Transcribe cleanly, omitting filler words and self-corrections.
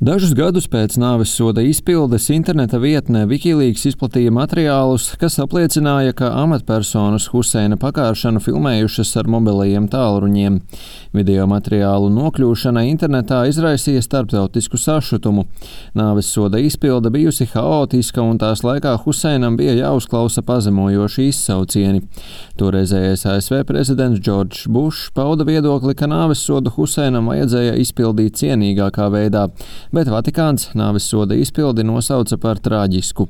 Dažus gadus pēc nāvessoda izpildes interneta vietne Wikileaks izplatīja materiālus, kas apliecināja, ka amatpersonas Huseina pakāršanu filmējušas ar mobilajiem tālruņiem. Video materiālu nokļūšana internetā izraisīja starptautisku sašutumu. Nāvessoda izpilde bijusi haotiska un tās laikā Huseinam bija jāuzklausa pazemojoši izsaucieni. Toreizējais ASV prezidents Džordžs Bušs pauda viedokli, ka nāvessodu Huseinam vajadzēja izpildīt cienīgākā veidā, bet Vatikāns nāvessoda izpildi nosauca par traģisku.